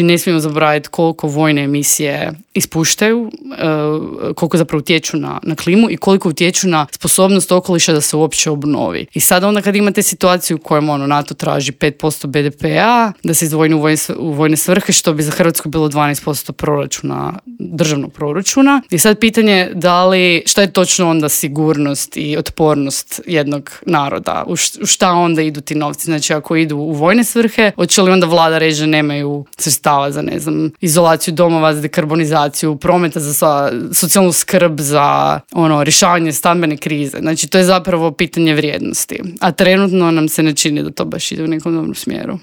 I ne smijemo zaboraviti koliko vojne emisije ispuštaju, koliko zapravo utječu na klimu i koliko utječu na sposobnost okoliša da se uopće obnovi. I sad onda kad imate situaciju u kojem NATO traži 5% BDP-a da se izdvoji u vojne svrhe, što bi za Hrvatsku bilo 12% proračuna, državnog proračuna. I sad pitanje šta je točno onda sigurnost i otpornost jednog naroda? U šta onda idu ti novci? Znači ako idu u vojne svrhe, hoće li onda vlada reći da nemaju sredstava za, izolaciju domova, za dekarbonizaciju, prometa, za socijalnu skrb, za rješavanje stambene krize. Znači to je zapravo pitanje vrijednosti. A trenutno nam se ne čini da to baš ide u nekom dobrom smjeru.